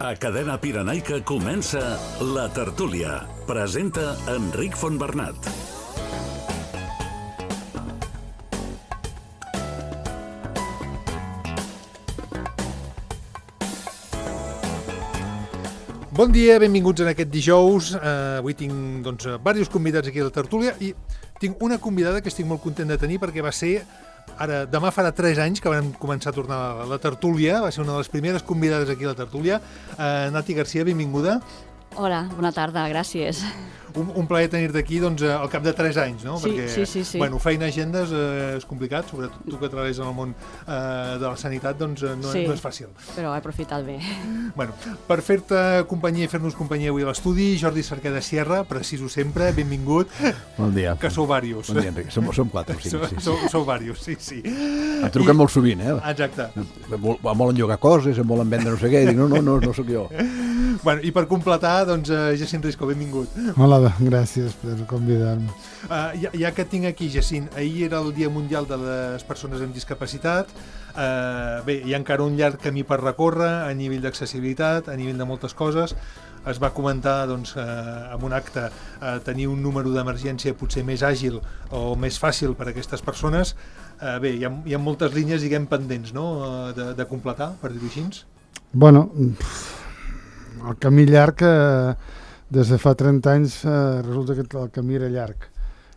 A Cadena Pirenaica comença La Tertúlia. Presenta Enric Fontbernat. Bon dia, benvinguts en aquest dijous. Avui tinc diversos convidats aquí a La Tertúlia i tinc una convidada que estic molt content de tenir perquè va ser... Demà farà 3 anys que vam començar a tornar a La Tertúlia, va ser una de les primeres convidades aquí a La Tertúlia. Nati Garcia, benvinguda. Hola, bona tarda, gràcies. Un plaer tenir-te aquí al cap de 3 anys, no? Sí, perquè, sí. Bueno, feina agendes és complicat, sobretot tu que treballes en el món de la sanitat, no és fàcil. Però he aprofitat bé. Bueno, per fer-te companyia i fer-nos companyia avui a l'estudi, Jordi Cerqueda Sierra, preciso sempre, benvingut. Bon dia. Que sou vàrios. Bon dia, Enric. Som 4 o 5. Sou vàrios, sí. Em truquen molt sovint, Exacte. Em volen llogar coses, em volen vendre no sé què, i dic, no sóc jo. Bueno, i per completar, Jacint Risco, benvingut. Hola, gràcies per convidar-me. Ja que et tinc aquí, Jacint, ahir era el Dia Mundial de les Persones amb Discapacitat. Bé, hi ha encara un llarg camí per recórrer a nivell d'accessibilitat, a nivell de moltes coses. Es va comentar en un acte tenir un número d'emergència potser més àgil o més fàcil per a aquestes persones. Bé, hi ha moltes línies, diguem, pendents, no?, de completar, per dir-ho així. Bueno, el camí llarg, des de fa 30 anys resulta que el camí era llarg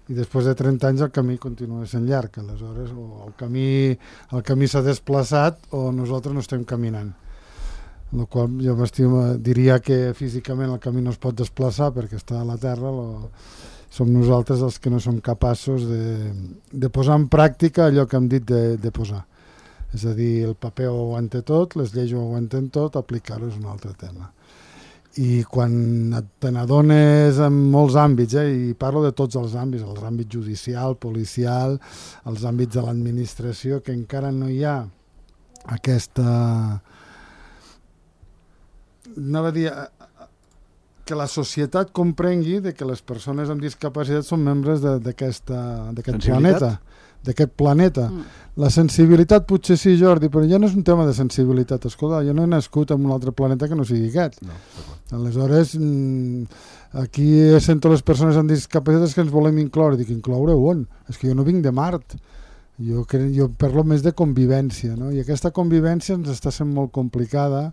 i després de 30 anys el camí continua sent llarg, aleshores o el camí s'ha desplaçat o nosaltres no estem caminant, el qual jo diria que físicament el camí no es pot desplaçar perquè està a la terra, som nosaltres els que no som capaços de posar en pràctica allò que hem dit de posar, és a dir, el paper ho aguanta tot, les lleis ho aguanten tot, aplicar-ho és un altre tema. I quan te n'adones en molts àmbits, i parlo de tots els àmbit judicial, policial, els àmbits de l'administració, que encara no hi ha aquesta... Anava a dir que la societat comprengui que les persones amb discapacitat són membres d'aquest planeta. D'aquest planeta. La sensibilitat potser sí, Jordi, però ja no és un tema de sensibilitat. Escolta, jo no he nascut en un altre planeta que no sigui aquest. No, aleshores, aquí sento les persones amb discapacitats que ens volem incloure. Dic, incloure on? És que jo no vinc de Mart. Jo parlo més de convivència, no? I aquesta convivència ens està sent molt complicada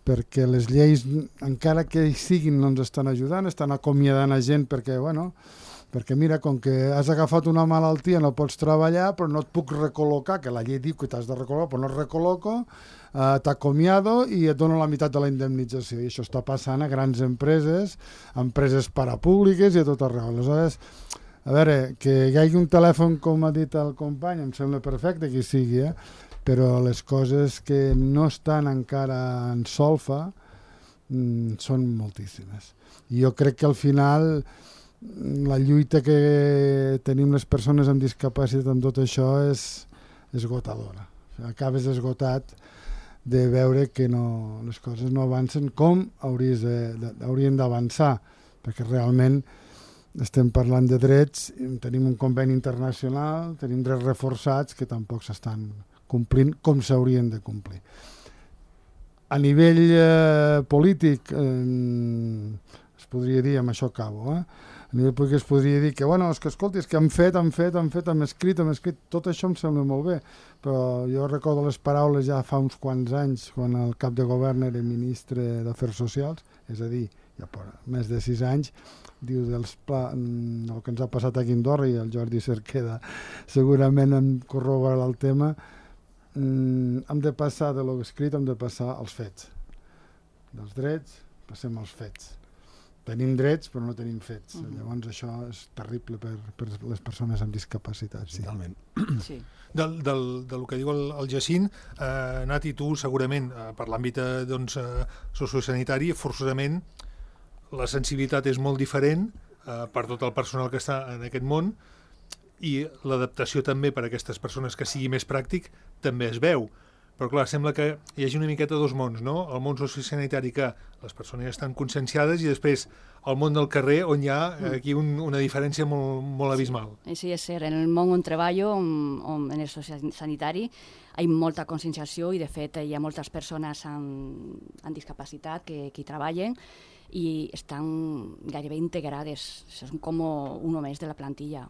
perquè les lleis, encara que hi siguin, no ens estan ajudant, estan acomiadant a gent perquè mira, com que has agafat una malaltia no pots treballar, però no et puc recol·locar, que la llei diu que t'has de recol·locar, però no et recol·loco, t'acomiado i et dono la meitat de la indemnització. I això està passant a grans empreses parapúbliques i a tot arreu. Aleshores, a veure, que hi hagi un telèfon, com ha dit el company, em sembla perfecte que hi sigui, però les coses que no estan encara en solfa són moltíssimes. I jo crec que al final... la lluita que tenim les persones amb discapacitat amb tot això és esgotadora. Acabes esgotat de veure que les coses no avancen com haurien d'avançar, perquè realment estem parlant de drets, tenim un conveni internacional, tenim drets reforçats que tampoc s'estan complint com s'haurien de complir. A nivell polític es podria dir, amb això acabo, a nivell polític es podria dir que, escolti, és que hem escrit, tot això em sembla molt bé, però jo recordo les paraules ja fa uns quants anys, quan el cap de govern era ministre d'Afers Socials, és a dir, ja per més de 6 anys, diu el que ens ha passat aquí a Andorra, i el Jordi Cerqueda segurament em corroborarà el tema, hem de passar de l'escrit, hem de passar als fets. Dels drets passem als fets. Tenim drets però no tenim fets. Llavors això és terrible per les persones amb discapacitat. Sí. Totalment. Sí. Del que diu el Jacint, Nati, tu segurament per l'àmbit sociosanitari forçosament la sensibilitat és molt diferent per tot el personal que està en aquest món i l'adaptació també per a aquestes persones que sigui més pràctic també es veu. Però clar, sembla que hi hagi una miqueta dos mons, no? El món sociosanitari que les persones estan conscienciades i després el món del carrer on hi ha aquí una diferència molt abismal. Sí, és cert. En el món on treballo, en el sociosanitari, hi ha molta conscienciació i, de fet, hi ha moltes persones amb discapacitat que hi treballen i estan gairebé integrades. Són com un més de la plantilla.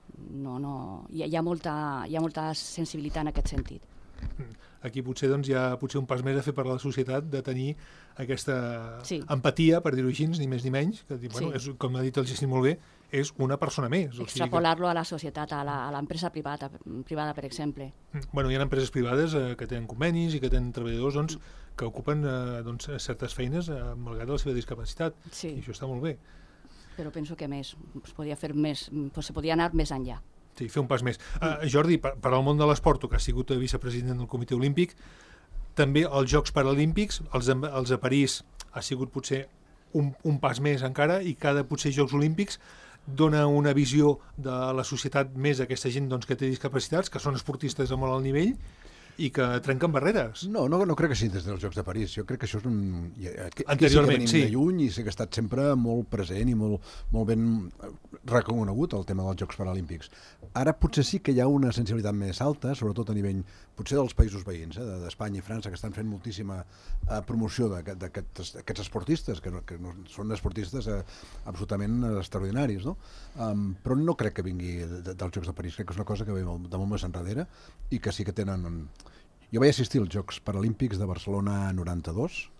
Hi ha molta sensibilitat en aquest sentit. Aquí potser hi ha un pas més a fer per a la societat de tenir aquesta empatia, per dir-ho així, ni més ni menys, que com ha dit el Jacint molt bé, és una persona més. Extrapolar-lo a la societat, a l'empresa privada, per exemple. Hi ha empreses privades que tenen convenis i que tenen treballadors que ocupen certes feines malgrat la seva discapacitat, i això està molt bé. Però penso que més, es podia anar més enllà. Sí, fer un pas més. Jordi, per al món de l'esport, tu que has sigut vicepresident del Comitè Olímpic, també els Jocs Paralímpics, els de París, ha sigut potser un pas més encara, i cada potser Jocs Olímpics dona una visió de la societat més a aquesta gent que té discapacitats, que són esportistes a molt alt nivell, i que trenquen barreres. No crec que sigui des dels Jocs de París. Jo crec que això és anteriorment, sí. De lluny, i sé que ha estat sempre molt present i molt ben reconegut el tema dels Jocs Paralímpics. Ara potser sí que hi ha una sensibilitat més alta, sobretot a nivell potser dels països veïns, d'Espanya i França, que estan fent moltíssima promoció d'aquests esportistes, que són esportistes absolutament extraordinaris, no? Però no crec que vingui dels Jocs de París. Crec que és una cosa que ve de molt més enrere i que sí que tenen... Jo vaig assistir als Jocs Paralímpics de Barcelona 92,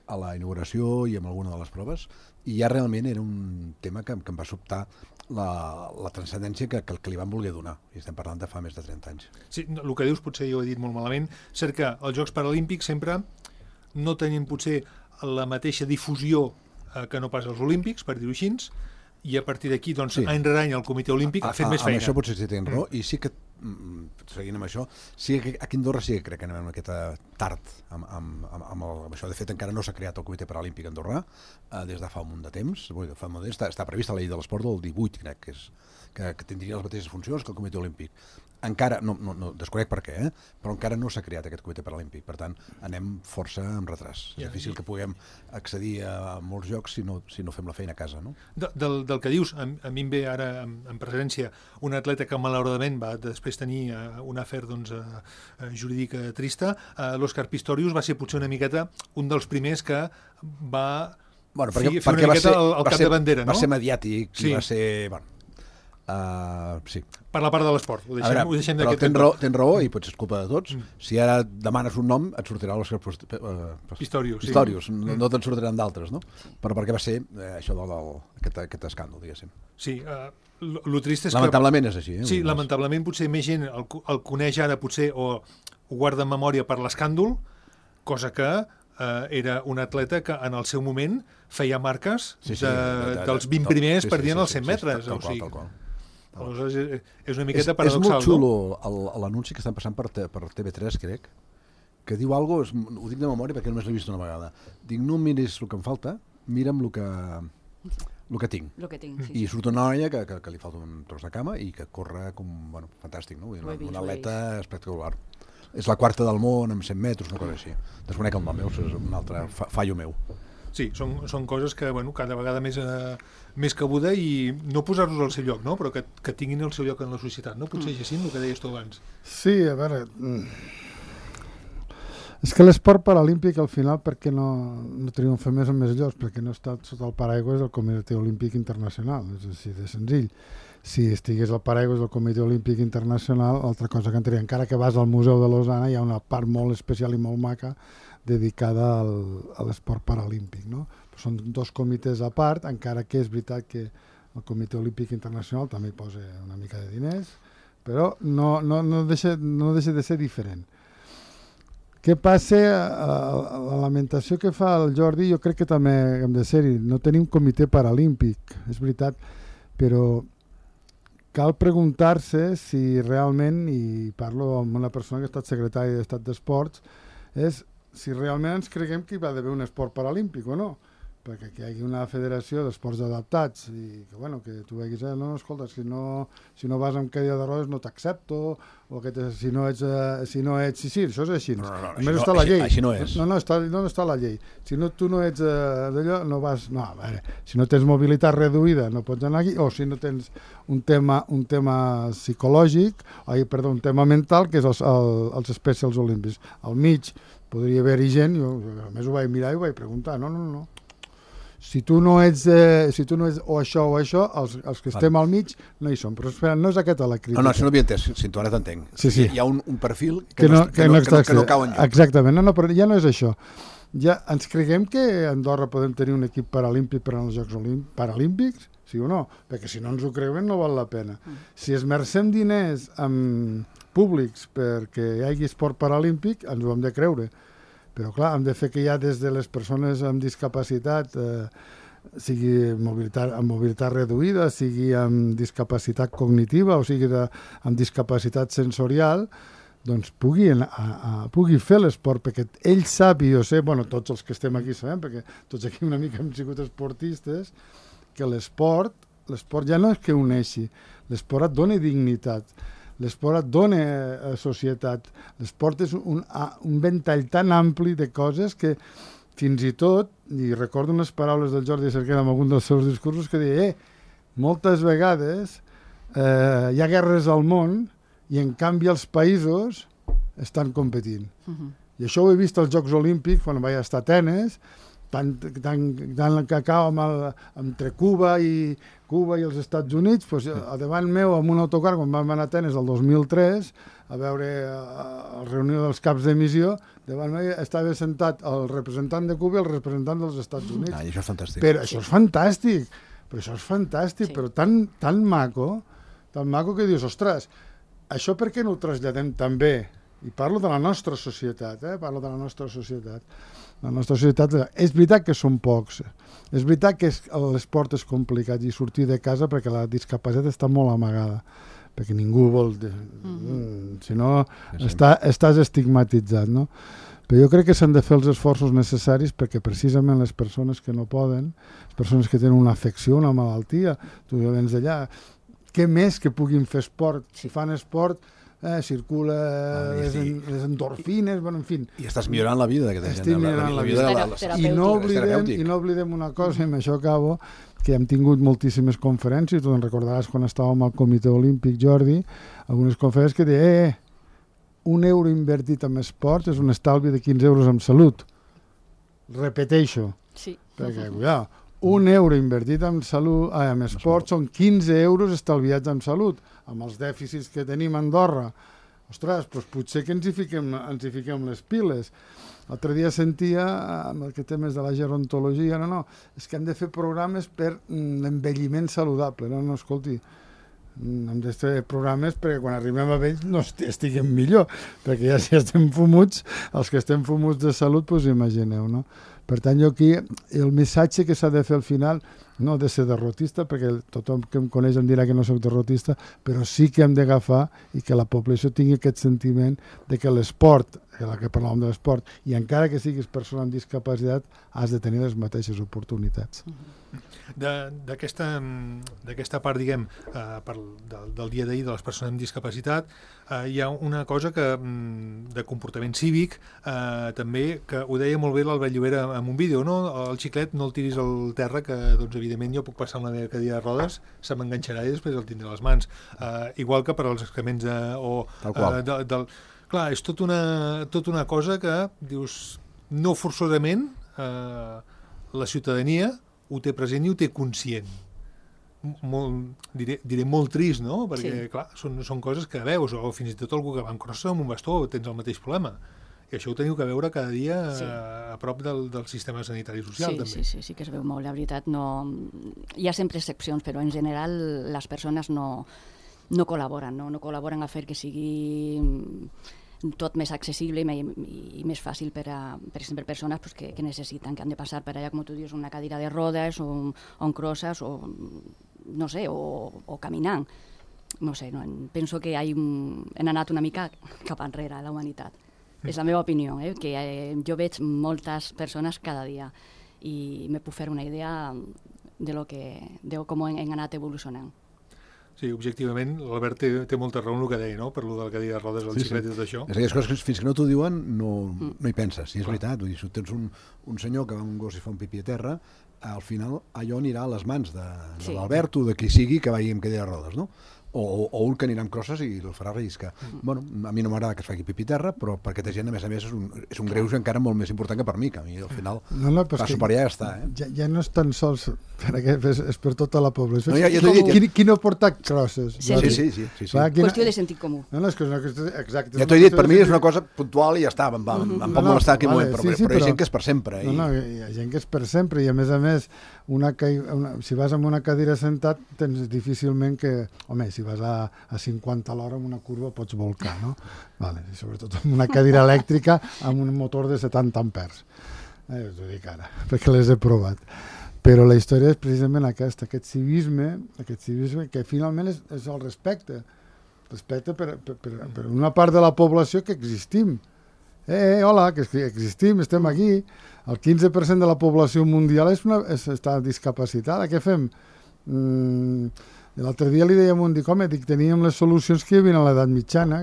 a la inauguració i amb alguna de les proves, i ja realment era un tema que em va sobtar la transcendència que li van voler donar, i estem parlant de fa més de 30 anys. Sí, el que dius potser jo he dit molt malament, cert que els Jocs Paralímpics sempre no tenien potser la mateixa difusió que no pas els Olímpics, per dir-ho així, i a partir d'aquí, any rere any el Comitè Olímpic ha fet més feina. Amb això potser sí tenen raó, i sí que seguint amb això, sí que aquí a Andorra sí que crec que anem una miqueta tard amb això. De fet, encara no s'ha creat el Comitè Paralímpic andorrà des de fa un munt de temps. Està prevista la llei de l'esport del 18, crec, que tindria les mateixes funcions que el Comitè Olímpic. Encara, no desconec per què, però encara no s'ha creat aquest Comitè Paralímpic. Per tant, anem força amb retras. És difícil que puguem accedir a molts jocs si no fem la feina a casa, no? Del que dius, a mi em ve ara en presència un atleta que malauradament va després tenir un afer jurídic trista. L'Òscar Pistorius va ser potser una miqueta un dels primers que va fer una miqueta el cap de bandera, no? Va ser mediàtic i va ser... sí. Per la part de l'esport, ho deixem d'aquest... Tens raó, i potser és culpa de tots. Si ara demanes un nom, et sortirà l'Òscar Pistorius. No te'n sortiran d'altres, no? Però perquè va ser això d'aquest escàndol, diguéssim. Sí, el trist és que... Lamentablement és així. Sí, lamentablement potser més gent el coneix ara potser o ho guarda en memòria per l'escàndol, cosa que era un atleta que en el seu moment feia marques dels 20 primers per dir en els 100 metres. Tal qual. Aleshores, és una miqueta paradoxal, no? És molt xulo l'anunci que estan passant per TV3, crec, que diu alguna cosa, ho dic de memòria perquè només l'he vist una vegada. Dic, no miris el que em falta, mira'm el que tinc. I surt una noia que li falta un tros de cama i que corre com, fantàstic, no? Una atleta espectacular. És la quarta del món amb 100 metres, una cosa així. Desconec el nom, és un altre fallo meu. Sí, són coses que cada vegada més cabuda, i no posar-los al seu lloc, no? Però que tinguin el seu lloc en la societat, no? Potser, Jacint, el que deies tu abans. Sí, a veure... És que l'esport paralímpic, al final, per què no triomfa més en més llocs? Perquè no està sota el paraigües del Comitè Olímpic Internacional, és així de senzill. Si estigués al paraigües del Comitè Olímpic Internacional, altra cosa que entraria. Encara que vas al Museu de Lausana, hi ha una part molt especial i molt maca dedicada a l'esport paralímpic, no? Són dos comitès a part, encara que és veritat que el Comitè Olímpic Internacional també hi posa una mica de diners, però no deixa de ser diferent. Què passa? La lamentació que fa el Jordi, jo crec que també hem de ser-hi. No tenim comitè paralímpic, és veritat, però cal preguntar-se si realment, i parlo amb una persona que ha estat secretària d'Estat d'Esports, és si realment ens creguem que hi va d'haver un esport paralímpic o no. perquè que hi hagi una federació d'esports adaptats i que, bueno, que tu veguis, no, escolta, si no vas amb cadira de rodes no t'accepto, o que si no ets... Sí, això és així. No, només està la llei. Així no és. No, està la llei. Si no, tu no ets d'allò, no vas... No, a veure, si no tens mobilitat reduïda no pots anar aquí, o si no tens un tema psicològic, un tema mental, que és els Specials Olímpics. Al mig podria haver-hi gent, jo a més ho vaig mirar i ho vaig preguntar, no. Si tu no ets o això, els que estem al mig no hi som. Però espera, no és aquesta la crítica. No, si no havia entès, si tu ara t'entenc. Sí. Hi ha un perfil que no cau enlloc. Exactament, no, però ja no és això. Ja ens creguem que a Andorra podem tenir un equip paralímpic per als Jocs Paralímpics? Sí o no? Perquè si no ens ho creiem no val la pena. Si esmercem diners públics perquè hi hagi esport paralímpic, ens ho hem de creure. Però clar, hem de fer que ja des de les persones amb discapacitat, sigui amb mobilitat reduïda, sigui amb discapacitat cognitiva o sigui amb discapacitat sensorial, doncs pugui fer l'esport, perquè ell sap, i jo sé, tots els que estem aquí sabem, perquè tots aquí una mica hem sigut esportistes, que l'esport ja no és que uneixi, l'esport et dona dignitat, l'esport et dona societat. L'esport és un ventall tan ampli de coses que fins i tot, i recordo unes paraules del Jordi Cerquera en algun dels seus discursos que deia moltes vegades hi ha guerres al món i en canvi els països estan competint. I això ho he vist als Jocs Olímpics quan vaig estar a Atenes, tant que acaba entre Cuba i els Estats Units, doncs, a davant meu, amb un autocar, quan vam anar a Atenes el 2003, a veure la reunió dels caps de missió, davant meu estava sentat el representant de Cuba i el representant dels Estats Units. I això és fantàstic. Però això és fantàstic, però tan maco que dius, ostres, això per què no ho traslladem també? I parlo de la nostra societat, La nostra societat, és veritat que són pocs, és veritat que l'esport és complicat i sortir de casa perquè la discapacitat està molt amagada, perquè ningú vol... Si no, estàs estigmatitzat, no? Però jo crec que s'han de fer els esforços necessaris perquè precisament les persones que no poden, les persones que tenen una afecció, una malaltia, tu vens d'allà, què més que puguin fer esport? Si fan esport... circula les endorfines, en fi. I estàs millorant la vida d'aquesta gent. I no oblidem una cosa, i amb això acabo, que hem tingut moltíssimes conferències, tu en recordaràs quan estàvem al Comitè Olímpic, Jordi, algunes conferències que deia €1 invertit en esports és un estalvi de 15 euros en salut. Repeteixo. Sí. Perquè, cuidado, €1 invertit en esport són 15 euros estalviats en salut, amb els dèficits que tenim a Andorra. Ostres, doncs potser que ens hi fiquem les piles. L'altre dia sentia, amb el que temes de la gerontologia, és que hem de fer programes per l'envelliment saludable. No, escolti, hem de fer programes perquè quan arribem a vells no estiguem millor, perquè ja si estem fumuts, els que estem fumuts de salut, doncs imagineu, no? Per tant, jo aquí, el missatge que s'ha de fer al final, no ha de ser derrotista, perquè tothom que em coneix em dirà que no soc derrotista, però sí que hem d'agafar i que la població tingui aquest sentiment de que l'esport, que parlàvem de l'esport, i encara que siguis persona amb discapacitat, has de tenir les mateixes oportunitats. D'aquesta part, diguem, del dia d'ahir de les persones amb discapacitat, hi ha una cosa de comportament cívic, també, que ho deia molt bé l'Albert Llobera en un vídeo, no? El xiclet no el tiris al terra, que doncs, evidentment jo puc passar amb la meva cadira de rodes, se m'enganxarà i després el tindré a les mans. Igual que per als excrements clar, és tota una cosa que dius, no forçosament la ciutadania ho té present i ho té conscient. Diré molt trist, no? Perquè, clar, són coses que veus, o fins i tot algú que va en crossa amb un bastó, tens el mateix problema. I això ho teniu que veure cada dia a prop del sistema sanitari social, també. Sí que es veu molt, la veritat. Hi ha sempre excepcions, però en general les persones no col·laboren, no col·laboren a fer que sigui tot més accessible i més fàcil per exemple, persones que necessiten, que han de passar per allà, com tu dius, una cadira de rodes o en crosses o no sé, o caminant. No sé, penso que hem anat una mica cap enrere a la humanitat. És la meva opinió, que jo veig moltes persones cada dia i me puc fer una idea de com hem anat evolucionant. Sí, objectivament, l'Albert té molta raó en el que deia, no? Per lo de la cadira de rodes, el xiclet i tot això. És aquelles coses que fins que no t'ho diuen no hi penses, si és veritat. Vull dir, si tens un senyor que va amb un gos i fa un pipí a terra, al final allò anirà a les mans de l'Albert o de qui sigui que vagi amb cadira de rodes, no? O un que anirà amb crosses i el farà relliscar. Bueno, a mi no m'agrada que es faci pipí a terra, però per aquesta gent, a més, és un greuge encara molt més important que per mi, que a mi al final passo per allà i ja està. Ja no és tan sols és per tota la població. Qui no porta crosses? Sí. Qüestió de sentit comú. Exacte. Ja t'ho he dit, per mi és una cosa puntual i ja està, em pot molestar aquell moment, però hi ha gent que és per sempre. No, hi ha gent que és per sempre i a més, si vas amb una cadira sentat, tens difícilment que... Home, si vas a 50 a l'hora en una curva pots volcar, no? Vale, i sobretot amb una cadira elèctrica amb un motor de 70 ampers. T'ho dic ara, perquè les he provat. Però la història és precisament aquest civisme que finalment és el respecte. Respecte per una part de la població que existim. Hola, que existim, estem aquí. El 15% de la població mundial està discapacitada. Què fem? L'altre dia li dèiem teníem les solucions que hi havia a l'edat mitjana,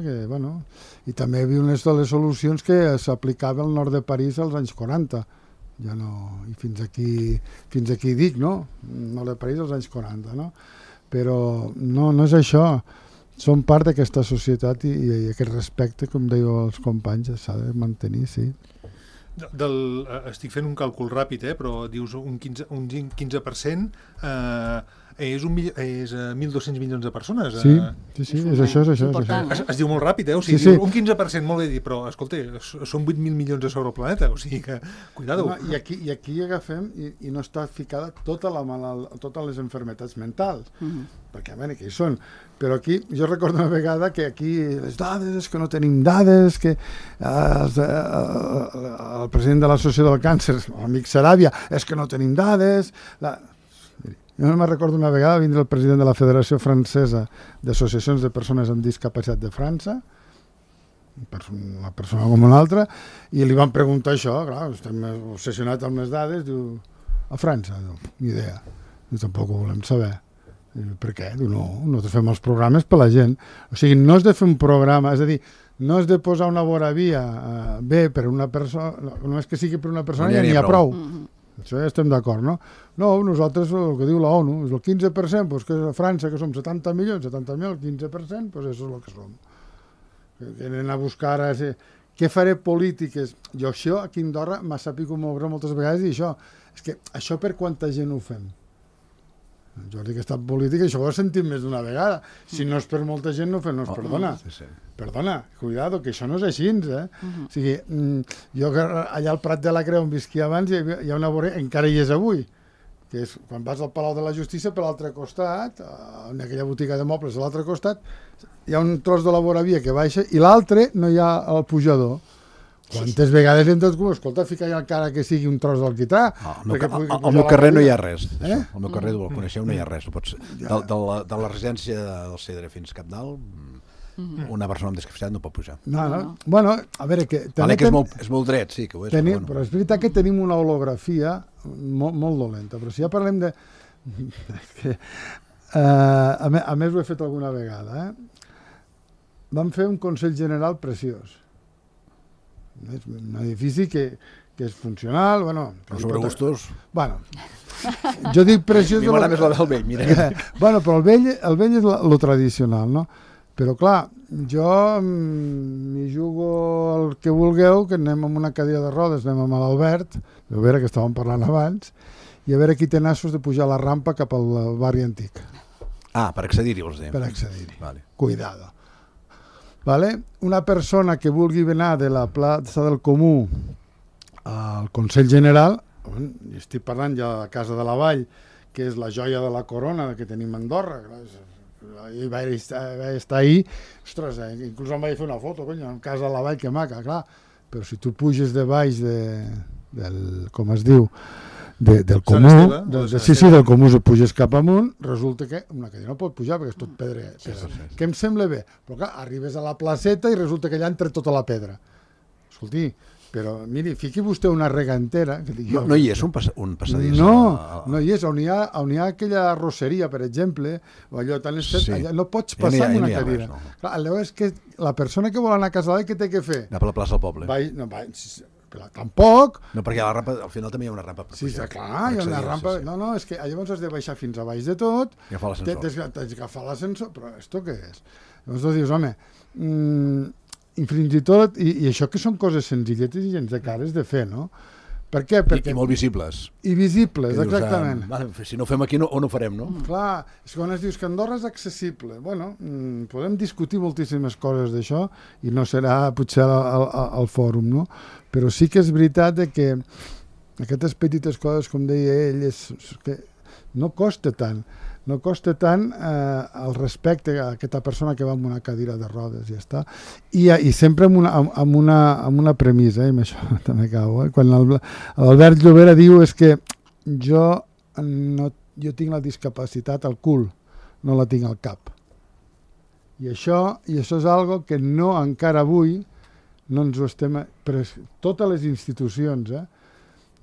i també hi havia unes de les solucions que s'aplicaven al nord de París als anys 40. Ja no, i fins aquí dic, no? Nord de París als anys 40, no? Però no és això. Som part d'aquesta societat i aquest respecte, com deia els companys, s'ha de mantenir, sí. Estic fent un càlcul ràpid, però dius un 15%, és 1.200 milions de persones. Sí, és això. Es diu molt ràpid, o sigui, un 15%, molt bé dit, però, escolta, són 8.000 milions de sobre el planeta, o sigui que, cuidado. I aquí agafem i no està ficada totes les malalties mentals, perquè, a veure, què hi són? Però aquí, jo recordo una vegada que aquí les dades, que no tenim dades, que el president de l'Associació del Càncer, l'amic Saràbia, és que no tenim dades... Jo no me'n recordo una vegada vindre el president de la Federació Francesa d'Associacions de Persones amb Discapacitat de França, una persona com una altra, i li van preguntar això, clar, estem obsessionats amb les dades, diu, a França, ni idea, tampoc ho volem saber. Per què? Diu, no, nosaltres fem els programes per la gent. O sigui, no és de fer un programa, és a dir, no és de posar una voravia bé per una persona, només que sigui per una persona ja n'hi ha prou. Això ja estem d'acord, no? No, nosaltres, el que diu la ONU, és el 15%, doncs que a França, que som 70 milions, el 15%, doncs això és el que som. Que anem a buscar ara... Què faré polítiques? Jo això, aquí a Andorra, m'ha sabut moure moltes vegades i això. És que això per quanta gent ho fem? Jordi, que està en política, això ho he sentit més d'una vegada. Si no és per molta gent, no ho fem. No, perdona, cuidado, que això no és així, O sigui, jo allà al Prat de la Creu on visquia abans hi ha una vorera, encara hi és avui, que és quan vas al Palau de la Justícia, per l'altre costat, en aquella botiga de mobles a l'altre costat, hi ha un tros de la voravia que baixa i l'altre no hi ha el pujador. Quantes vegades hem tot com, escolta, fica ja encara que sigui un tros d'alquitrà. Al meu carrer no hi ha res. Al meu carrer, el coneixeu, no hi ha res. De la residència del Cedre fins Capdalt, una persona amb discapacitat no pot pujar. No. Bueno, a veure... Vale, que és molt dret, sí, que ho és. Però és veritat que tenim una holografia molt dolenta, però si ja parlem de... A més, ho he fet alguna vegada. Vam fer un Consell General preciós. Un edifici que és funcional, però sobre gustos... Jo dic preciós... A mi m'agrada més la del vell, mira. Però el vell és lo tradicional, no? Però clar, jo m'hi jugo el que vulgueu, que anem amb una cadira de rodes, anem amb l'Albert, a veure que estàvem parlant abans, i a veure qui té nassos de pujar la rampa cap al barri antic. Per accedir-hi, vols dir? Per accedir-hi. Cuidado. Una persona que vulgui anar de la plaça del Comú al Consell General, estic parlant ja de la Casa de la Vall, que és la joia de la corona que tenim a Andorra, i vaig estar ahir, ostres, inclús em vaig fer una foto, cony, en Casa de la Vall, que maca, clar, però si tu puges de baix del, com es diu, del Comú, del Comú si puges cap amunt, resulta que una cadira no pot pujar perquè és tot pedra. Que em sembla bé, però clar, arribes a la placeta i resulta que allà entra tota la pedra. Escolti, Però, miri, fiqui vostè una regantera... Que dic, no hi és un passadís? No hi és. On hi ha aquella arrosseria, per exemple, o allò tan estret, Sí. allà no pots passar amb una cadira. Res, no. Clar, llavors, que la persona que vol anar a casa d'ell, què té que fer? Anar per la plaça del poble. Però tampoc... No, perquè a la rampa, al final també hi ha una rampa per Sí, pujar. clar, hi ha una rampa... Sí. No, és que llavors has de baixar fins a baix de tot. I agafar l'ascensor. Tens d'agafar l'ascensor, però esto què és? Llavors tu dius, home, i fins i tot, i això que són coses senzilletes i gens de cares de fer, no? Per què? I molt visibles. I visibles, Que dius, exactament. si no ho fem aquí, on ho farem, no? Clar, és que quan es dius que Andorra és accessible, bueno, podem discutir moltíssimes coses d'això i no serà potser al fòrum, no? Però sí que és veritat que aquestes petites coses, com deia ell, és que no costa tant. No costa tant el respecte a aquesta persona que va amb una cadira de rodes, ja està. I sempre amb una premissa, i amb això també acabo. Quan l'Albert Llobera diu és que jo tinc la discapacitat al cul, no la tinc al cap. I això és algo que no encara avui no ens ho estem... Però totes les institucions,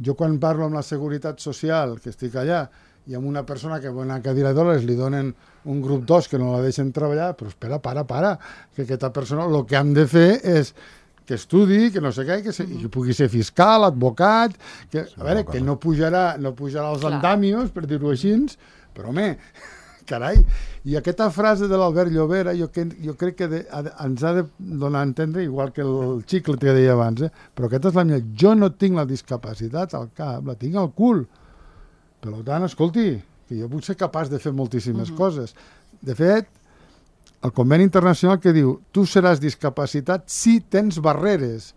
jo quan parlo amb la Seguretat Social, que estic allà, i amb una persona que va a una cadira de dòlars li donen un grup 2 que no la deixen treballar, però espera, para, que aquesta persona el que hem de fer és que estudi, que no sé què, que pugui ser fiscal, advocat, que no pujarà als andamios, per dir-ho així, però home, carai, i aquesta frase de l'Albert Llobera jo crec que ens ha de donar a entendre, igual que el xicle que deia abans, però aquesta és la meva, jo no tinc la discapacitat al cap, la tinc al cul. Per tant, escolti, que jo puc ser capaç de fer moltíssimes coses. De fet, el conveni internacional que diu tu seràs discapacitat si tens barreres.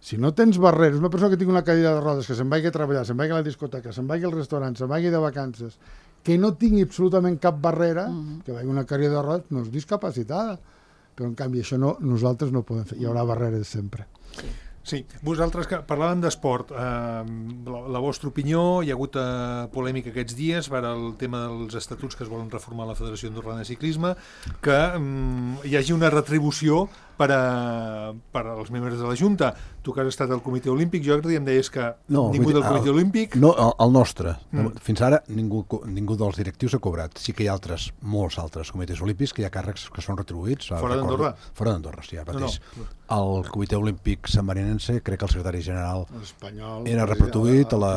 Si no tens barreres, una persona que tingui una cadira de rodes, que se'n vagi a treballar, se'n vagi a la discoteca, se'n vagi al restaurant, se'n vagi de vacances, que no tingui absolutament cap barrera, que vagi una cadira de rodes, no és discapacitada. Però, en canvi, això nosaltres no podem fer. Hi haurà barreres sempre. Sí, vosaltres que parlàvem d'esport, la vostra opinió, hi ha hagut polèmica aquests dies per el tema dels estatuts que es volen reformar a la Federació Andorrana de Ciclisme, que hi hagi una retribució per als membres de la Junta. Tu que has estat al Comitè Olímpic, jo em deies que ningú del Comitè Olímpic... No, el nostre. Fins ara ningú dels directius ha cobrat. Sí que hi ha molts altres comitès olímpics que hi ha càrrecs que són retribuïts. Fora d'Andorra? Fora d'Andorra, sí, ara mateix. El Comitè Olímpic Sammarinense, crec que el secretari general era retribuït a la...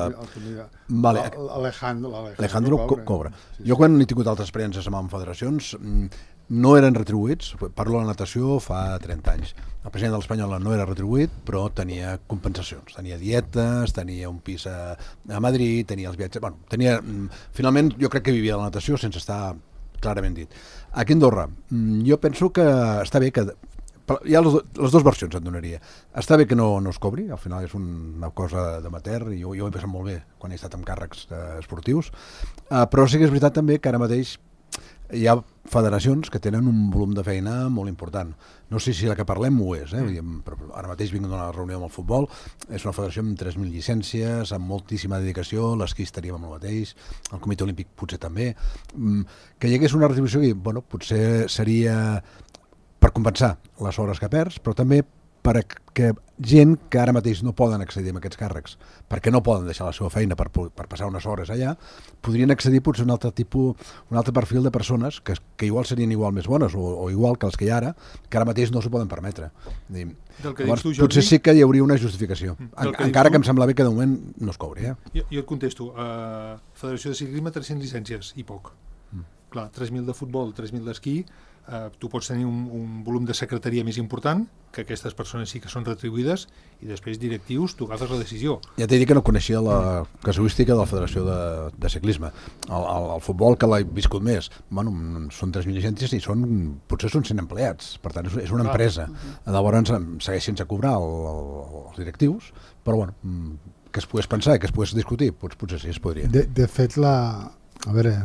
Alejandro cobra. Jo quan he tingut altres experiències amb federacions no eren retribuïts, parlo de la natació fa 30 anys. El president de l'Espanyola no era retribuït, però tenia compensacions, tenia dietes, tenia un pis a Madrid, tenia els viatges... Bueno, finalment jo crec que vivia de la natació sense estar clarament dit. Aquí a Andorra, jo penso que està bé que... Hi ha les dues versions, et donaria. Està bé que no es cobri, al final és una cosa d'amateur, i jo ho he passat molt bé quan he estat amb càrrecs esportius, però sí que és veritat també que ara mateix hi ha federacions que tenen un volum de feina molt important. No sé si la que parlem ho és, però ara mateix vinc d'una reunió amb el futbol, és una federació amb 3.000 llicències, amb moltíssima dedicació, l'esquí estaríem amb el mateix, el Comitè Olímpic potser també, que hi hagués una retribució que, bueno, potser seria per compensar les hores que perds, però també perquè gent que ara mateix no poden accedir a aquests càrrecs, perquè no poden deixar la seva feina per passar unes hores allà, podrien accedir potser a un altre perfil de persones que igual serien igual més bones o igual que els que hi ha ara, que ara mateix no s'ho poden permetre. Llavors, potser sí que hi hauria una justificació, encara que em sembla bé que de moment no es cobri. Jo et contesto, Federació de Ciclisme 300 llicències i poc. Clar, 3.000 de futbol, 3.000 d'esquí, tu pots tenir un volum de secretaria més important, que aquestes persones sí que són retribuïdes, i després directius, tu agafes la decisió. Ja t'he dit que no coneixia la casuística de la Federació de Ciclisme. El futbol, que l'he viscut més, bueno, són 3.000 llicències i potser són 100 empleats, per tant és una empresa. Llavors segueixen a cobrar els directius, però bueno, que es pogués pensar i que es pogués discutir, potser sí es podria. De fet, a veure...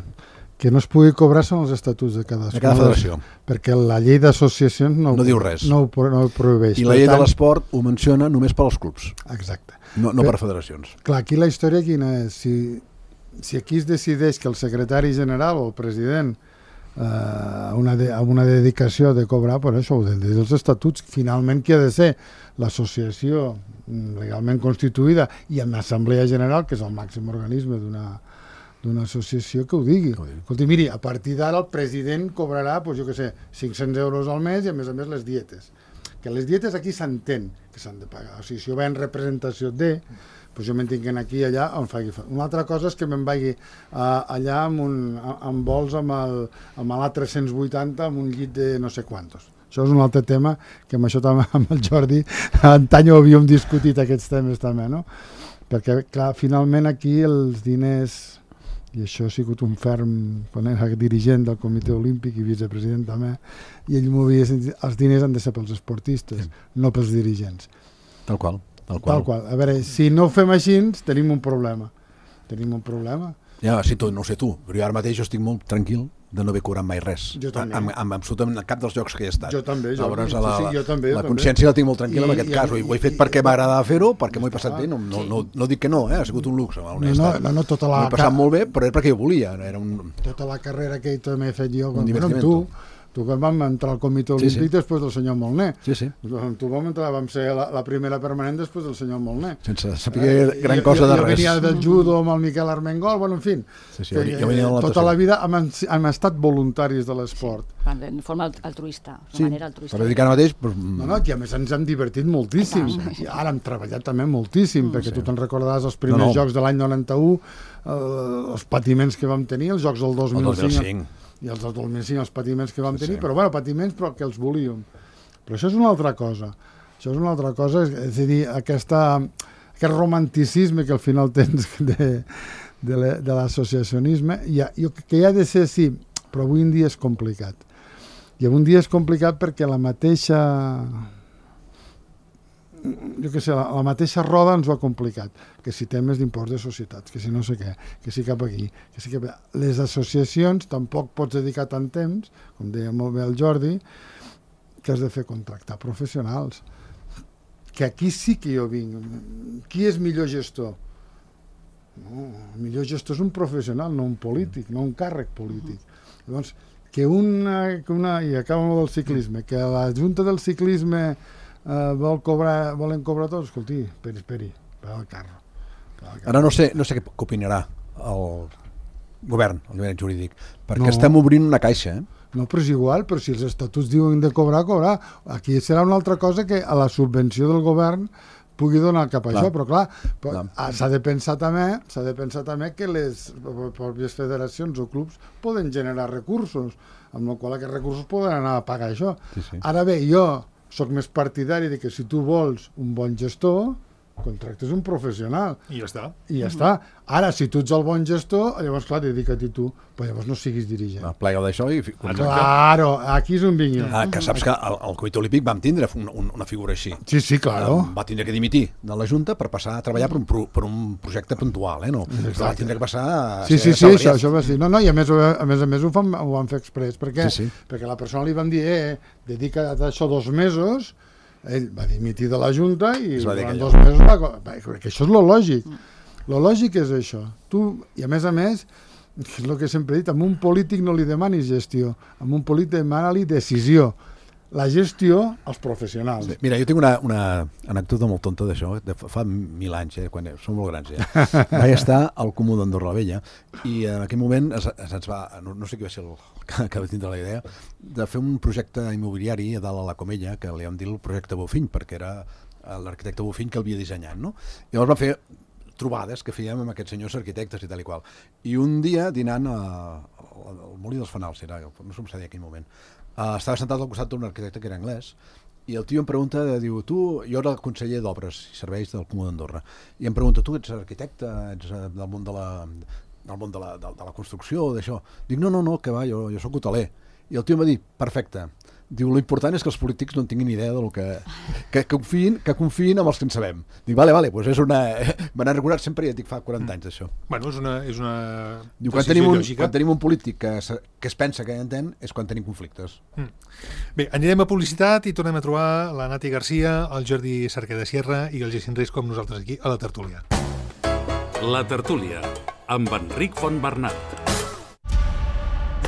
que no es pugui cobrar són els estatuts de cada federació. Perquè la llei d'associacions no diu res. No ho prohibeix. I la llei de l'esport ho menciona només per als clubs. Exacte. No per federacions. Clar, aquí la història quina és? Si aquí es decideix que el secretari general o el president una dedicació de cobrar, per això, dels estatuts, finalment qui ha de ser l'associació legalment constituïda i amb l'Assemblea General, que és el màxim organisme d'una associació, que ho digui. Escolti, miri, a partir d'ara el president cobrarà, jo què sé, 500 euros al mes i a més les dietes. Que les dietes aquí s'entén que s'han de pagar. O sigui, si jo vaig en representació jo me'n tinc aquí i allà on faci. Una altra cosa és que me'n vagi allà amb vols amb l'A380 amb un llit de no sé quantos. Això és un altre tema que amb això també amb el Jordi antany ho havíem discutit aquests temes també, no? Perquè, clar, finalment aquí els diners, i això ha sigut un ferm quan era dirigent del Comitè Olímpic i vicepresident també, i ell m'ho havia sentit, els diners han de ser pels esportistes, no pels dirigents. Tal qual. Tal qual. A veure, si no ho fem així, tenim un problema. Ja, sí, no ho sé tu, però jo ara mateix estic molt tranquil de no haver cobrat mai res. Jo també. Amb absolutament cap dels llocs que he estat. Jo també. Llavors, la consciència la tinc molt tranquil·la en aquest cas. Ho he fet perquè m'agradava fer-ho, perquè m'ho he passat bé. No dic que no, ha sigut un luxe. No, tota la... M'ho he passat molt bé, però era perquè jo volia. Tota la carrera que també he fet jo, tu quan vam entrar al Comitè Olímpic després del senyor Molné. Sí. Tu vam ser la primera permanent després del senyor Molné. Sense saber gran cosa de res. Jo venia del judo amb el Miquel Armengol, en fi. Tota la vida hem estat voluntaris de l'esport. De forma altruista, de manera altruista. Per dir que ara mateix... No, que a més ens hem divertit moltíssim. I ara hem treballat també moltíssim, perquè tu te'n recordaràs els primers Jocs de l'any 91, els patiments que vam tenir, els Jocs del 2005. I els del 2005, els patiments que vam tenir, però bueno, patiments però que els volíem. Però això és una altra cosa. És a dir, aquest romanticisme que al final tens de l'associacionisme, que ha de ser sí, però avui en dia és complicat. I avui en dia és complicat perquè la mateixa la mateixa roda ens ho ha complicat, que si temes d'impost de societats, que si no sé què, que si cap aquí, que si cap allà. Les associacions tampoc pots dedicar tant temps, com deia molt bé el Jordi, que has de fer contractar professionals. Que aquí sí que jo vinc. Qui és millor gestor? No, el millor gestor és un professional, no un polític, no un càrrec polític. Llavors, i acabo amb el ciclisme, que la Junta del Ciclisme volen cobrar tots, escolti, esperi, per al carro. Ara no sé què opinarà el govern, el govern jurídic, perquè estem obrint una caixa, No, però és igual, però si els estatuts diuen de cobrar. Aquí serà una altra cosa que a la subvenció del govern pugui donar cap a això, però clar, s'ha de pensar també que les pròpies federacions o clubs poden generar recursos, amb el qual aquests recursos poden anar a pagar això. Ara bé, jo soc més partidari de que si tu vols un bon gestor, contractes un professional. I ja està. Ara, si tu ets el bon gestor, llavors, clar, dedica't tu, però llavors no siguis dirigent. Plega d'això i... Claro, aquí és on vinc jo. Que saps que el Comitè Olímpic vam tindre una figura així. Sí, claro. Va tindre que dimitir de la Junta per passar a treballar per un projecte puntual, no? Va tindre que passar a ser assalariat. Això va ser. No, i a més ho van fer exprés. Per què? Perquè a la persona li van dir, dedica't a això 2 mesos. Ell va dimitir de la Junta i durant 2 mesos que això és lo lògic. Lo lògic és això. I a més, és el que sempre he dit, amb un polític no li demanis gestió, amb un polític demana-li decisió. La gestió als professionals. Mira, jo tinc una anècdota molt tonta d'això, fa 1000 anys, quan som molt grans ja. Vaig estar al Comú d'Andorra la Vella i en aquell moment se'ns va, no sé qui va ser el que va tindre la idea, de fer un projecte immobiliari a dalt a la Comella, que li vam dir el projecte Bofill, perquè era l'arquitecte Bofill que el havia dissenyat, no? Llavors va fer trobades que fèiem amb aquests senyors arquitectes i tal i qual. I un dia, dinant al Molí dels Fanals, no sé com s'ha dit en aquell moment, estava sentat al costat d'un arquitecte que era anglès i el tio em pregunta, diu, jo era el conseller d'Obres i Serveis del Comú d'Andorra, i em pregunta, tu ets arquitecte, ets del món de la construcció o d'això? Dic, no, que va, jo soc hoteler. I el tio em va dir, perfecte, diu, l'important és que els polítics no en tinguin idea del que confiïn amb els que en sabem. Dic, vale, doncs és una... Me n'han recordat sempre, ja et dic, fa 40 anys d'això. Bueno, és una diu, quan tenim un polític que es pensa que entén és quan tenim conflictes. Bé, anirem a publicitat i tornem a trobar la Nati Garcia, el Jordi Cerqueda Sierra i el Jacint Reis com nosaltres aquí a la tertúlia. La tertúlia, amb Enric Fontbernat.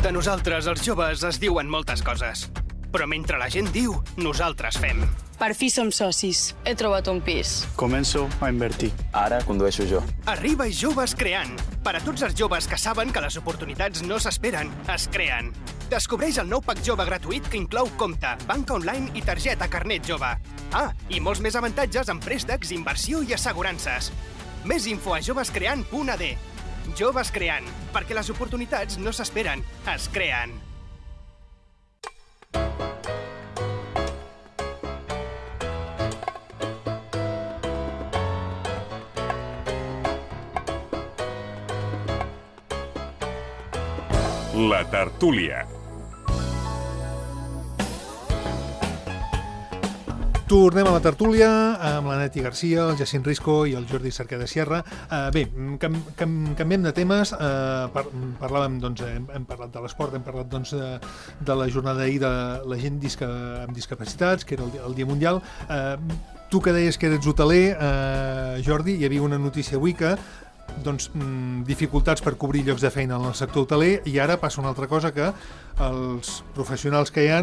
De nosaltres, els joves, es diuen moltes coses. Però mentre la gent diu, nosaltres fem. Per fi som socis. He trobat un pis. Començo a invertir. Ara condueixo jo. Arriba Joves Creant. Per a tots els joves que saben que les oportunitats no s'esperen, es creen. Descobreix el nou pack jove gratuït que inclou compte, banca online i targeta carnet jove. Ah, i molts més avantatges en préstecs, inversió i assegurances. Més info a jovescreant.ad. Joves Creant, perquè les oportunitats no s'esperen, es creen. La tertúlia. Tornem a la tertúlia amb la Neti Garcia, el Jacint Risco i el Jordi Cerqueda Sierra. Bé, canviem de temes. Parlàvem, doncs, hem parlat de l'esport, hem parlat doncs, de la jornada d'ahir de la gent amb discapacitats, que era el Dia Mundial. Tu que deies que eres hoteler, Jordi, hi havia una notícia avui que dificultats per cobrir llocs de feina en el sector hoteler, i ara passa una altra cosa, que els professionals que hi ha,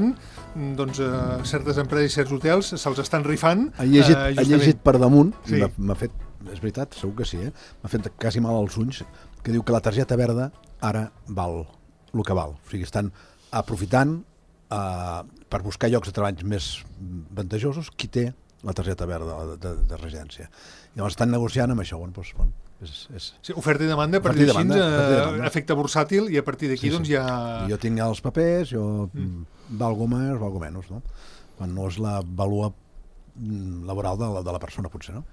certes empreses i certs hotels se'ls estan rifant. Ha llegit per damunt, sí. M'ha fet, és veritat, segur que sí, m'ha fet quasi mal als ulls, que diu que la targeta verda ara val el que val. O sigui, estan aprofitant per buscar llocs de treball més avantajosos qui té la targeta verda de residència. Llavors estan negociant amb això. Sí, oferta i demanda, per dir així, efecte bursàtil, i a partir d'aquí ja... Jo tinc els papers, valgo més, valgo menys, no? Quan no és la vàlua laboral de la persona, potser, no?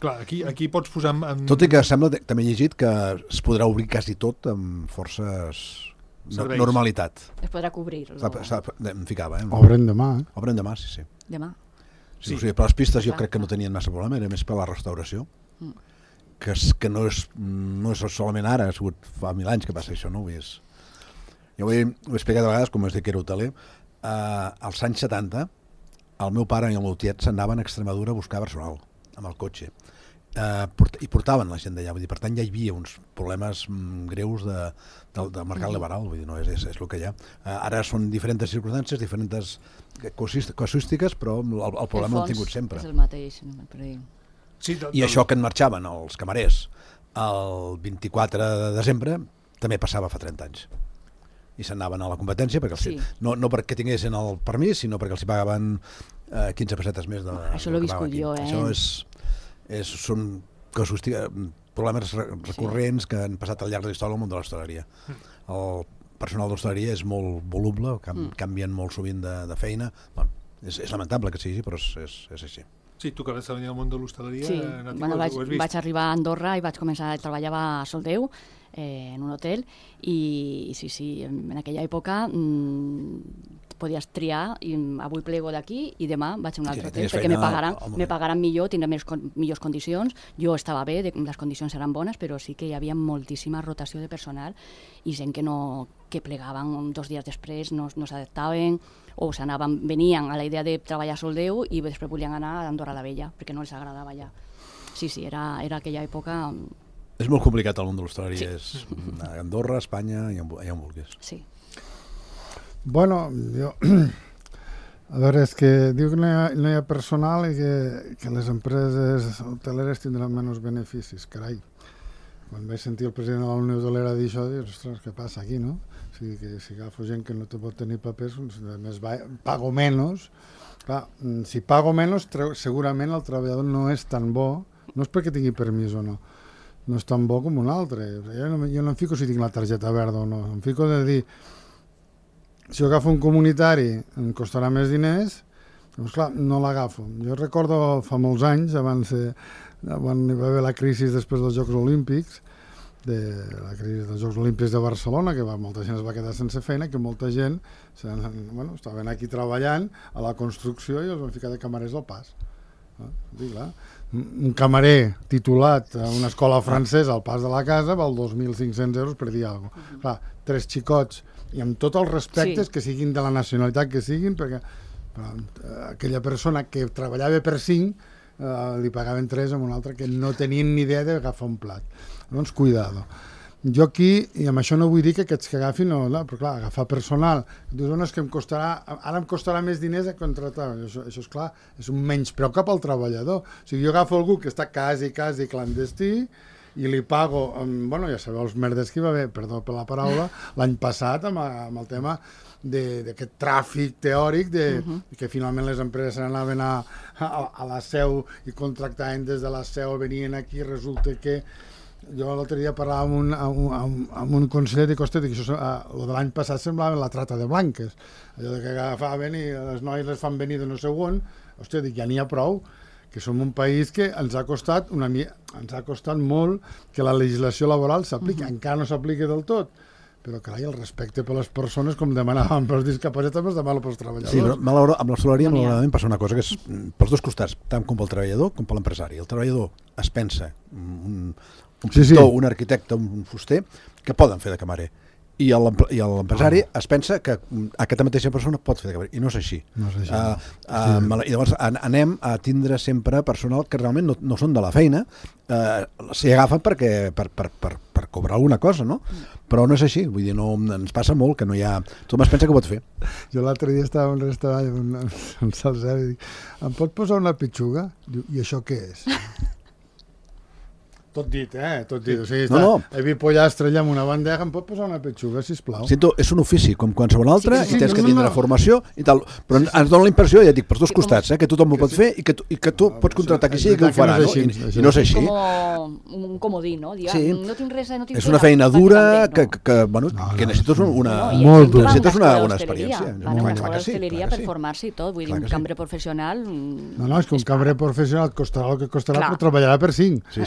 Clar, aquí pots posar... Tot i que sembla, també he llegit, que es podrà obrir quasi tot amb forces... normalitat. Es podrà cobrir. Em ficava, Obren demà. Obren demà, sí. Demà. Sí, o sigui, per les pistes jo crec que no tenien massa problema, era més per la restauració, que no és solament ara, ha sigut fa 1000 anys que passa això, no? Jo ho he explicat a vegades, com es diu que era hoteler, als anys 70, el meu pare i el meu tiet s'anaven a Extremadura a buscar personal, amb el cotxe, i portaven la gent d'allà, vull dir, per tant ja hi havia uns problemes greus del mercat laboral, vull dir, no, és el que hi ha. Ara són diferents circumstàncies, diferents casuístiques, però el problema l'han tingut sempre. És el mateix, per dir. Sí, I això que en marxaven els camarers el 24 de desembre també passava fa 30 anys. I s'anaven a la competència, no perquè tinguessin el permís, sinó perquè els pagaven 15 pessetes més. Això l'he viscut jo, Això són problemes recurrents que han passat al llarg de la història del món de l'hostaleria. El personal d'hostaleria és molt voluble, canvien molt sovint de feina. És lamentable que sigui, però és així. Sí, tu que vas treballar al món de l'hostaleria... Sí, vaig arribar a Andorra i vaig començar a treballar a Soldeu, en un hotel, i sí, en aquella època podies triar, i avui plego d'aquí i demà vaig a un altre hotel, perquè me pagaran millor, tindré millors condicions. Jo estava bé, les condicions eren bones, però sí que hi havia moltíssima rotació de personal i gent que plegaven 2 dies després, no s'adaptaven, o venien a la idea de treballar a Soldeu i després volien anar a Andorra la Vella, perquè no els agradava allà. Sí, era aquella època... És molt complicat el món de l'hostaleria, és Andorra, Espanya, allà on vulguis. Sí. Bueno, jo... A veure, és que diu que no hi ha personal i que les empreses hoteleres tindran menys beneficis, carai. Quan vaig sentir el president de la Unió Hotelera dir això, dius, ostres, què passa aquí, no? O sigui, que si agafo gent que no te pot tenir papers, a més pago menys. Clar, si pago menys, segurament el treballador no és tan bo, no és perquè tingui permís o no és tan bo com un altre. Jo no em fico si tinc la targeta verda o no, em fico de dir, si jo agafo un comunitari em costarà més diners, doncs clar, no l'agafo. Jo recordo fa molts anys, abans quan hi va haver la crisi després dels Jocs Olímpics, la crisi dels Jocs Olímpics de Barcelona, que molta gent es va quedar sense feina, que molta gent estaven aquí treballant a la construcció i els van ficar de camarers del pas. Clar, un camarer titulat a una escola francesa al pas de la casa val 2.500 euros per dir alguna cosa. Clar, 3 xicots, i amb tots els respectes, que siguin de la nacionalitat que siguin, perquè aquella persona que treballava per 5 li pagaven 3 amb una altra que no tenien ni idea d'agafar un plat. Doncs cuidado. Jo aquí, i amb això no vull dir que aquests que agafin, no, però clar, agafar personal, dius, és que ara em costarà més diners a contractar, això és clar, és un menyspreu cap al treballador. O sigui, jo agafo algú que està quasi clandestí i li pago, ja sabeu els merdes que hi va haver, perdó per la paraula, l'any passat amb el tema d'aquest tràfic teòric que finalment les empreses se n'anaven a la seu i contractaven des de la seu, venien aquí, resulta que jo l'altre dia parlava amb un conseller de Costa, que això de l'any passat semblava la trata de blanques, allò que agafaven i les noies les fan venir de no sé on. Hòstia, dic, ja n'hi ha prou, que som un país que ens ha costat molt que la legislació laboral s'apliqui, encara no s'apliqui del tot, però carai, el respecte per les persones, com demanàvem pels discapacitats, també es demana pels treballadors. Sí, però amb l'hostaleria malauradament passa una cosa que és pels dos costats, tant com pel treballador com per l'empresari. El treballador es pensa, un pintor, un arquitecte, un fuster, que poden fer de camarer. I l'empresari es pensa que aquesta mateixa persona pot fer de camarer, i no és així. I llavors anem a tindre sempre personal que realment no són de la feina, s'hi agafen per cobrar alguna cosa, no? Però no és així, vull dir, ens passa molt que no hi ha... Tothom es pensa que pot fer. Jo l'altre dia estava en un restaurant on se'ls dic, em pot posar una pitxuga? Diu, i això què és? Tot dit, tot dit. O sigui, he vist pollastre allà amb una bandeja, em pot posar una petxuga, sisplau? Sento, és un ofici, com qualsevol altre, i tens que tindre formació i tal, però ens dona la impressió, ja dic, per dos costats, que tothom ho pot fer i que tu pots contractar qui sigui que ho farà, no? I no és així. Com un comodí, no? No tinc res, no tinc... És una feina dura que necessites una experiència. Van a una escola d'hostaleria per formar-se i tot, vull dir, un cambrer professional... No, és que un cambrer professional costarà el que costarà, però treballarà per 5.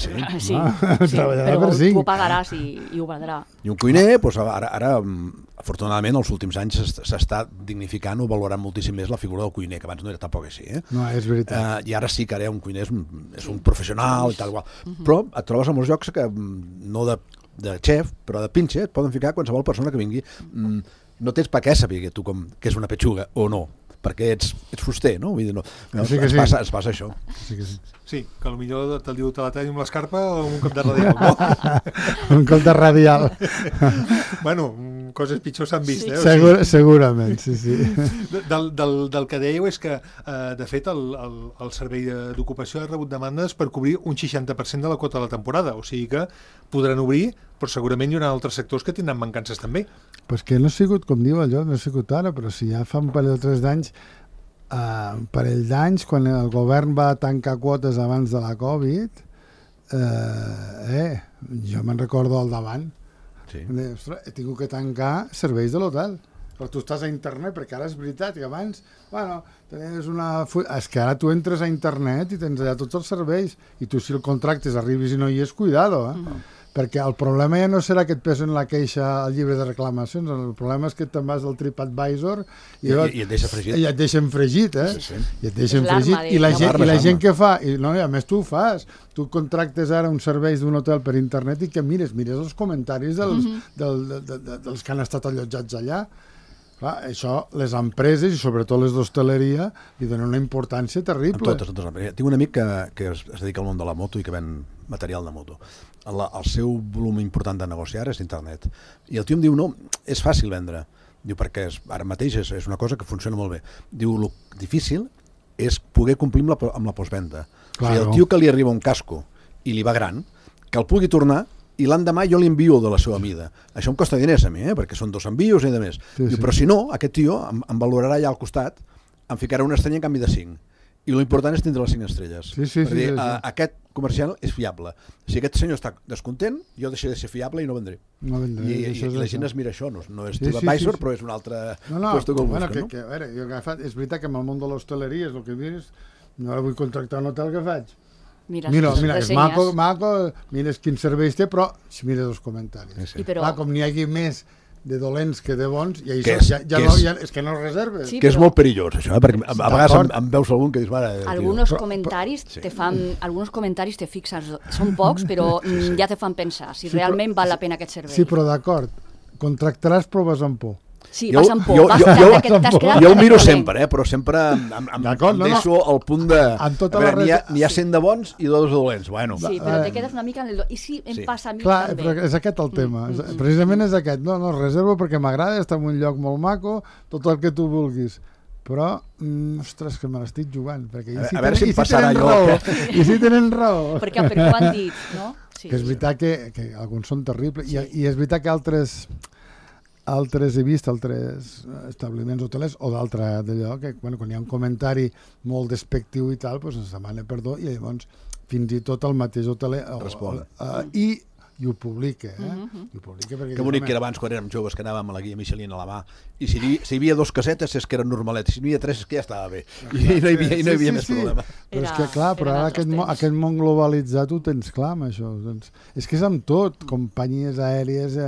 Sí, però tu ho pagaràs i ho valdrà. I un cuiner, ara, afortunadament, els últims anys s'està dignificant o valorant moltíssim més la figura del cuiner, que abans no era tampoc així. No, és veritat. I ara sí que ara un cuiner és un professional i tal igual. Però et trobes a molts llocs que, no de xef, però de pinche, et poden ficar qualsevol persona que vingui. No tens per què saber tu que és una petxuga o no, perquè ets fuster, no? Vull dir, es passa això. Sí, que potser te'l diu te la talli amb l'escarpa o amb un cop de radial, no? Un cop de radial. Bueno, coses pitjors s'han vist, Segurament, sí. Del que dèieu és que, de fet, el Servei d'Ocupació ha rebut demandes per cobrir un 60% de la quota de la temporada, o sigui que podran obrir, però segurament hi haurà altres sectors que tindran mancances també. Pues que no ha sigut, com diu allò, no ha sigut ara, però si ja fa un parell o 3 d'anys, quan el govern va tancar quotes abans de la Covid, jo me'n recordo al davant. Ostres, he tingut que tancar serveis de l'hotel. Però tu estàs a internet, perquè ara és veritat que abans, tenies és que ara tu entres a internet i tens allà tots els serveis, i tu si el contractes arribis i no hi és, cuidado, perquè el problema ja no serà que et pesen la queixa al llibre de reclamacions, el problema és que te'n vas al TripAdvisor i et deixen fregit, i et deixen fregit, i la gent que fa, i a més tu ho fas, tu contractes ara uns serveis d'un hotel per internet i que mires els comentaris dels que han estat allotjats allà. Clar, això, les empreses i sobretot les d'hostaleria li donen una importància terrible. Tinc un amic que es dedica al món de la moto i que ven material de moto. El seu volum important de negociar és internet. I el tio em diu, no, és fàcil vendre. Diu, perquè ara mateix és una cosa que funciona molt bé. Diu, el difícil és poder complir amb la postvenda. O sigui, el tio que li arriba un casco i li va gran, que el pugui tornar i l'endemà jo li envio de la seva mida. Això em costa diners a mi, perquè són 2 envios i de més. Diu, però si no, aquest tio em valorarà allà al costat, em ficarà una estrella en canvi de 5. I l'important és tindre les 5 estrelles. Sí. Aquest comercial és fiable. Si aquest senyor està descontent, jo deixaré de ser fiable i no vendré. I la gent es mira això, no és TripAdvisor, però és un altre puesto que el busca. És veritat que en el món de l'hostaleria és el que dius, no vull contractar un hotel, què faig? Mira, és maco, mires quins serveis té, però si mires els comentaris. Com n'hi hagi més de dolents que de bons, i és que no reserves. Que és molt perillós, això, perquè a vegades em veus algun que dius, mare... Alguns comentaris te fixes, són pocs, però ja te fan pensar si realment val la pena aquest servei. Sí, però d'acord, contractaràs proves amb por. Sí, vas amb por. Jo ho miro sempre, però sempre em deixo al punt de... N'hi ha 100 de bons i 2 de dolents. Bueno. Sí, però te quedes una mica en el... I si em passa a mi clar, també? Però és aquest el tema. Precisament és aquest. No, reservo perquè m'agrada, està en un lloc molt maco, tot el que tu vulguis. Però, ostres, que me l'estic jugant. Perquè a veure si em passarà allò. I si tenen raó. Perquè ho han dit, no? Que és veritat que alguns són terribles. I és veritat que altres he vist, altres establiments hotelers o d'altre d'allò, que quan hi ha un comentari molt despectiu i tal, doncs ens demana perdó i llavors fins i tot el mateix hoteler respon. I ho publica. I ho publica perquè que bonic que era abans, quan érem joves, que anàvem a la guia Michelin a la mà, i si hi havia 2 casetes és que eren normaletes, si n'hi havia 3 és que ja estava bé, i no hi havia més problema. Però és que clar, però ara aquest món globalitzat ho tens clar amb això. Doncs, és que és amb tot, companyies aèries,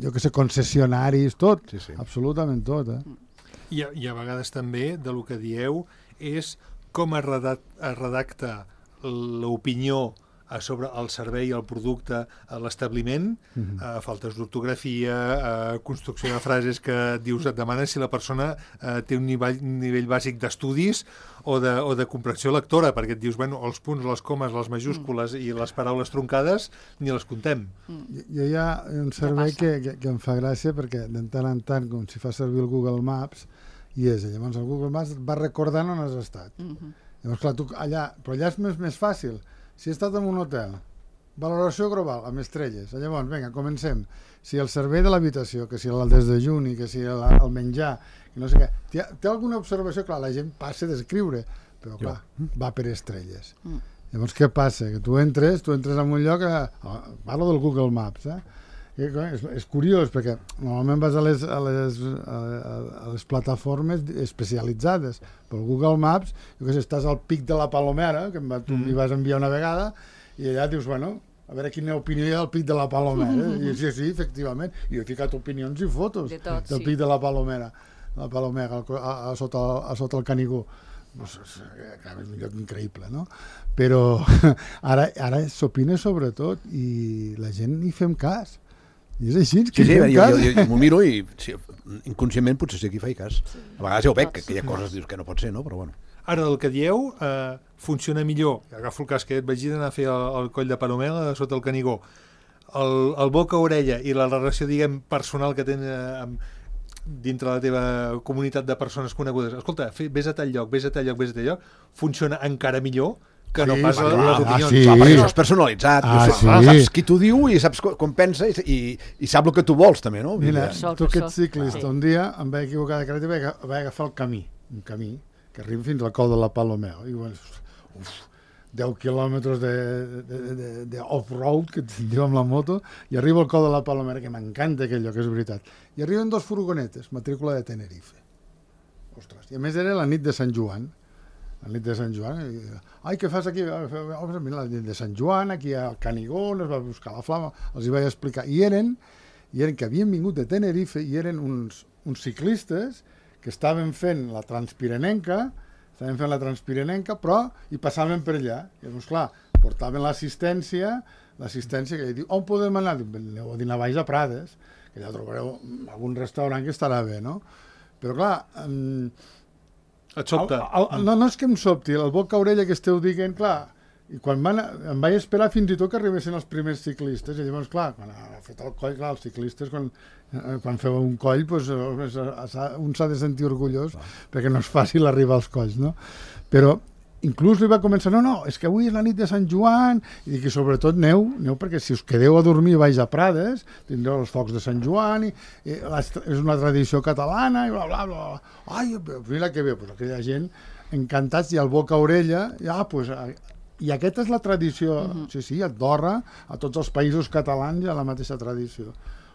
jo que sé, concessionaris, tot, absolutament tot. I a vegades també, de lo que dieu, és com es redacta l'opinió sobre el servei, el producte, l'establiment, faltes d'ortografia, construcció de frases que dius, et demanen si la persona té un nivell bàsic d'estudis o de comprensió lectora, perquè et dius, bueno, els punts, les comes, les majúscules i les paraules truncades ni les contem. Jo hi ha un servei que em fa gràcia perquè de tant en tant, com si fa servir el Google Maps, llavors el Google Maps et va recordant on has estat. Llavors, clar, tu allà, però allà és més fàcil. Si he estat en un hotel, valoració global, amb estrelles, llavors, vinga, comencem. Si el servei de l'habitació, que si el desdejuni, que si el menjar, que no sé què, té alguna observació? Clar, la gent passa d'escriure, però clar, va per estrelles. Llavors, què passa? Que tu entres en un lloc, parlo del Google Maps, és curiós, perquè normalment vas a les plataformes especialitzades. Pel Google Maps, jo què sé, estàs al Pic de la Palomera, que tu m'hi vas enviar una vegada, i allà dius, bueno, a veure quina opinió hi ha del Pic de la Palomera. I sí, efectivament, i he ficat opinions i fotos del Pic de la Palomera, a sota el Canigó. És un lloc increïble, no? Però ara s'opina sobre tot i la gent hi fem cas. I és així, que jo m'ho miro i inconscientment potser sí que hi faig cas. A vegades ja ho veig, que hi ha coses dius que no pot ser, no? Però bueno. Ara, el que dieu funciona millor. Agafo el cas que et vaig anar a fer el coll de Palomela sota el Canigó. El boca-orella i la relació, diguem, personal que tens dintre la teva comunitat de persones conegudes. Escolta, vés a tal lloc, funciona encara millor que no pas les opinions. Perquè això és personalitzat. Saps qui t'ho diu i saps com pensa i sap el que tu vols, també, no? Mira, tu que ets ciclista, un dia em vaig equivocar de carretera i vaig agafar un camí que arriba fins al cou de la Palomera. I bueno, 10 quilòmetres de off-road, que et diu amb la moto, i arribo al cou de la Palomera, que m'encanta aquell lloc, és veritat. I arriben 2 furgonetes, matrícula de Tenerife. Ostres, i a més era la nit de Sant Joan. La nit de Sant Joan. Ai, què fas aquí? Mira, la nit de Sant Joan, aquí a Canigó, es va buscar la flama, els hi vaig explicar. I eren que havien vingut de Tenerife i eren uns ciclistes que estaven fent la Transpirenenca, però hi passaven per allà. I llavors, clar, portaven l'assistència que diu, on podem anar? Aneu a dinar baix a Prades, que allà trobareu algun restaurant que estarà bé, no? Però, clar... Et sobta? No és que em sobti, el boca-orella que esteu dient, clar, i quan em vaig esperar fins i tot que arribessin els primers ciclistes, i llavors, clar, quan ha fet el coll, clar, els ciclistes, quan feu un coll, un s'ha de sentir orgullós, perquè no és fàcil arribar als colls, no? Però inclús li va començar, no, és que avui és la nit de Sant Joan, i que sobretot neu perquè si us quedeu a dormir baix a Prades, tindreu els focs de Sant Joan, i és una tradició catalana, i bla, bla, bla. Ai, mira que bé, aquella gent encantats, i el boca-orella, i aquesta és la tradició, sí, a Andorra, a tots els països catalans hi ha la mateixa tradició.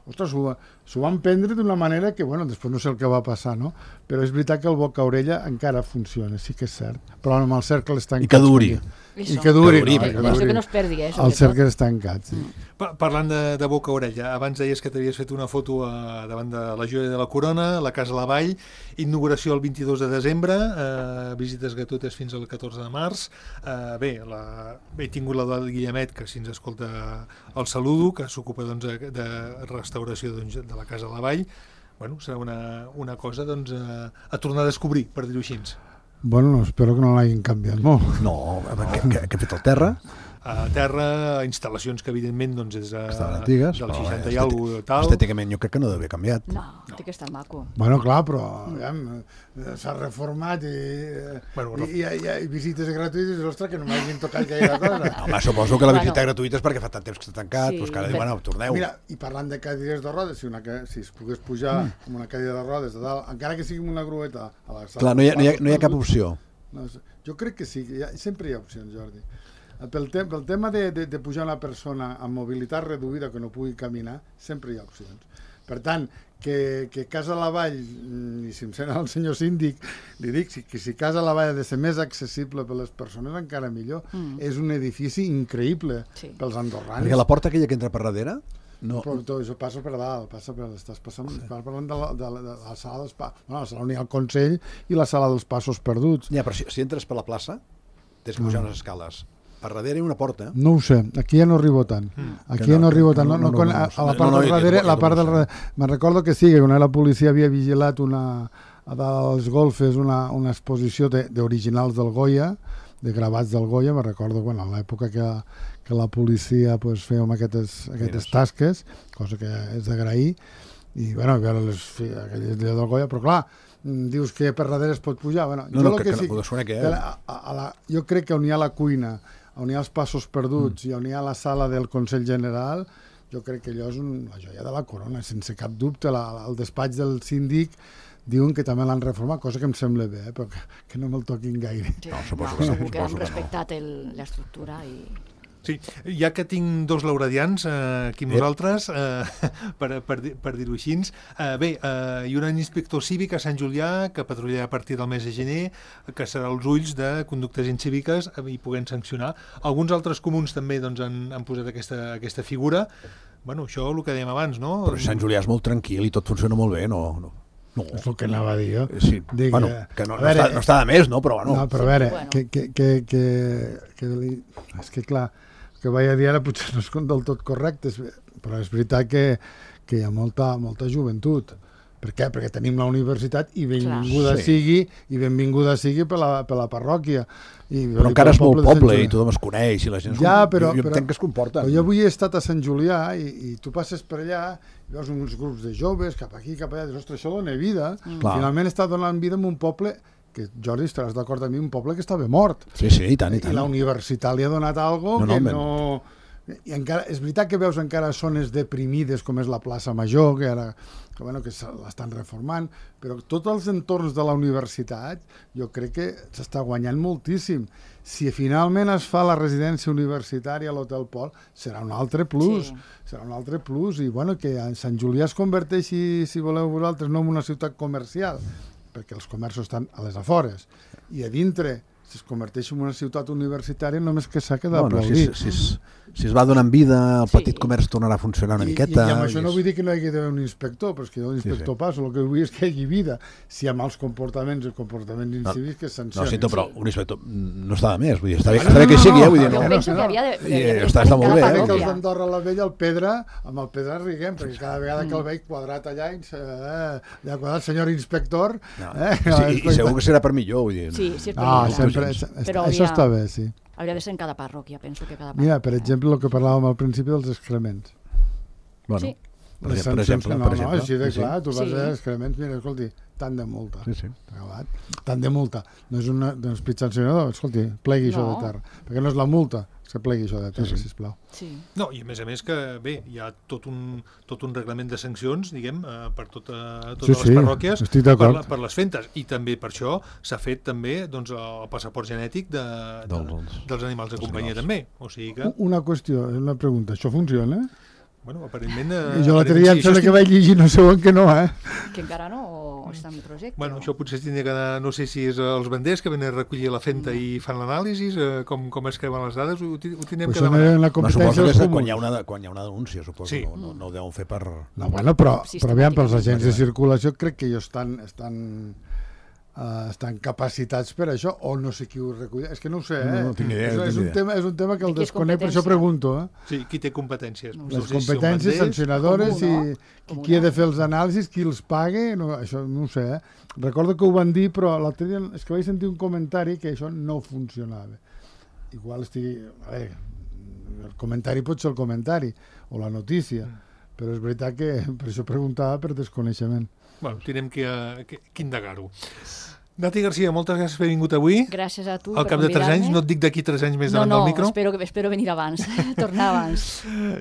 Ostres, s'ho van prendre d'una manera que, bueno, després no sé el que va passar, no? Però és veritat que el boca-orella encara funciona, sí que és cert. Però amb els cercles tancats... I que duri. I que duri. Que no es perdi, els cercles tancats, sí. Parlant de boca-orella, abans deies que t'havies fet una foto davant de la Joia de la Corona, la Casa La Vall, inauguració el 22 de desembre, visites gratuïtes fins al 14 de març. He tingut la del Guillemet, que si ens escolta el saludo, que s'ocupa de restauració de la Casa La Vall. bueno, serà una cosa doncs, a tornar a descobrir, per dir-ho així. Bueno, espero que no l'hagin canviat molt. No, què ha fet el terra? A terra, instal·lacions que evidentment doncs, és estaven antigues, del 60 i alguna tal. Estèticament jo crec que no deu haver canviat. No, té que estar maco. Bueno, clar, però s'ha reformat i hi ha visites gratuïtes, ostres, que no m'hagin tocat gaire cosa. Home, suposo que la visita gratuïta és perquè fa tant temps que està tancat, doncs que ara diuen, bueno, torneu. Mira, i parlant de cadires de rodes, si es pogués pujar amb una cadira de rodes de dalt, encara que sigui amb una grueta a la sala... Clar, no hi ha cap opció. No, jo crec que sí, sempre hi ha opcions, Jordi. Pel tema de pujar una persona amb mobilitat reduïda que no pugui caminar, sempre hi ha opcions. Per tant, que Casa Lavall, i si em sent el senyor síndic, li dic que si Casa Lavall ha de ser més accessible per les persones, encara millor. És un edifici increïble pels andorrans. Perquè la porta aquella que entra per darrere... No. Però tot això passa per dalt, estàs parlant de la sala dels passos, la sala on hi ha el Consell i la sala dels passos perduts. Ja, però si entres per la plaça, tens que pujar unes escales. Per darrere hi ha una porta. No ho sé, aquí ja no arribo tant. Aquí ja no arribo tant. A la part del darrere, me'n recordo que sí, que quan la policia havia vigilat a dalt als golfes una exposició d'originals del Goya, de gravats del Goya, me'n recordo, bueno, a l'època que la policia fèiem aquestes tasques, cosa que és d'agrair, i bueno, veure aquelles del Goya, però clar, dius que per darrere es pot pujar. Bueno, jo crec que on hi ha la cuina, on hi ha els passos perduts i on hi ha la sala del Consell General, jo crec que allò és la joia de la corona, sense cap dubte. El despatx del síndic diuen que també l'han reformat, cosa que em sembla bé, però que no me'l toquin gaire. Sí, segur que han respectat l'estructura i... Sí, ja que tinc dos lauradians aquí amb nosaltres, per dir-ho així, bé, hi haurà un inspector cívic a Sant Julià que patrullarà a partir del mes de gener, que serà els ulls de conductes incíviques i puguem sancionar. Alguns altres comuns també doncs, han posat aquesta figura. Bueno, això el que dèiem abans, no? Però Sant Julià és molt tranquil i tot funciona molt bé, no? No. És el que anava a dir jo. Sí. Bueno, que no està de més, no? Però bueno. No, però a veure, és que clar, que vaig a dir ara potser no és del tot correcte, però és veritat que hi ha molta joventut. Per què? Perquè tenim la universitat i benvinguda sigui per la parròquia. Però encara és molt poble i tothom es coneix i la gent jo entenc que es comporta. Jo avui he estat a Sant Julià i tu passes per allà i veus uns grups de joves cap aquí, cap allà, dius, ostres, això dona vida. Finalment està donant vida en un poble que, Jordi, estaràs d'acord amb mi, un poble que estava mort. Sí, i tant. I la universitat li ha donat algo que no... I encara, és veritat que veus encara zones deprimides com és la plaça Major, que l'estan reformant, però tots els entorns de la universitat jo crec que s'està guanyant moltíssim. Si finalment es fa la residència universitària a l'Hotel Pol, serà un altre plus. Serà un altre plus. I bueno, que Sant Julià es converteixi, si voleu vosaltres, no en una ciutat comercial, perquè els comerços estan a les afores, i a dintre si es converteix en una ciutat universitària només que s'ha quedat aplaudir. Si es va donant vida, el petit comerç tornarà a funcionar una miqueta. I amb això no vull dir que no hi hagi d'haver un inspector, però és que l'inspector passa, el que vull és que hi hagi vida. Si hi ha mals comportaments incívics, que sancionen. No, sento, però un inspector no està de més, vull dir, està bé que hi sigui, vull dir, no. Penso que havia està molt bé. Que els d'Andorra la Vella, amb el Pedra riguem, perquè cada vegada que el veig quadrat allà, quadrat, senyor inspector... I segur que serà per millor, vull dir. Sí, és per millor. Això està bé, sí. Hauria de ser en cada parròquia, penso que cada parròquia. Mira, per exemple, el que parlàvem al principi dels excrements. Sí. Les sancions que no, així de clar, tu vas a excrements, mira, escolti, tant de multa. Tant de multa. No és un pit sancionador, escolti, plegui això de terra. Perquè no és la multa, que plegui això de terra, sisplau. No, i a més que, bé, hi ha tot un reglament de sancions, diguem, per totes les parròquies, per les fentes. I també per això s'ha fet també el passaport genètic dels animals de companyia també. O sigui que... Una qüestió, una pregunta, això funciona? Bueno, aparentment... Jo l'altre dia em sembla que vaig llegir, no sé on que no, Que encara no, o està en projecte? Bueno, això potser tindria que anar, no sé si és els banders que venen a recollir la fenta i fan l'anàlisi, com es creuen les dades, ho tindrem que demanar. Suposo que és quan hi ha una denúncia, suposo, no ho deuen fer per... No, bueno, però aviam, pels agents de circulació crec que ells estan estan capacitats per això, o no sé qui ho recull. És que no ho sé, No tinc idea. És un tema que el Qui és desconec, per això competència? pregunto. Sí, qui té competències? Les competències sancionadores i qui ha de fer els anàlisis, qui els paga, això no ho sé. Recordo que ho van dir, però l'altre dia és que vaig sentir un comentari que això no funcionava. Igual estigui... A veure, el comentari pot ser el comentari, o la notícia, però és veritat que per això preguntava per desconeixement. Bueno, tindrem que indagar-ho. Nati Garcia, moltes gràcies per haver vingut avui. Gràcies a tu Al cap de 3 anys, no et dic d'aquí 3 anys més davant del micro. Espero venir abans, tornar abans.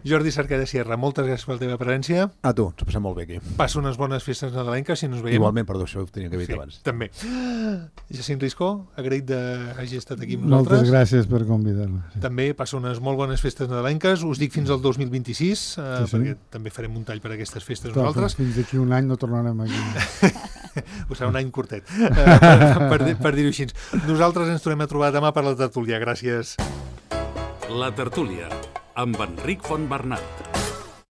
Jordi Cerqueda Sierra, moltes gràcies per la teva presència. A tu, ens ho passem molt bé aquí. Passa unes bones festes nadalenques, si no ens veiem. Igualment, perdó, això ho tenia que haver dit abans. També. Jacint Riscó, agraït d'hagi estat aquí amb nosaltres. Moltes gràcies per convidar-me. Sí. També passa unes molt bones festes nadalenques. Us dic fins al 2026, perquè també farem un tall per aquestes festes nosaltres. Fins d'aquí un any no tornarem aquí. Ho serà un any curtet, per dir-ho així. Nosaltres ens tornem a trobar demà per la tertúlia. Gràcies. La tertúlia, amb Enric Fontbernat.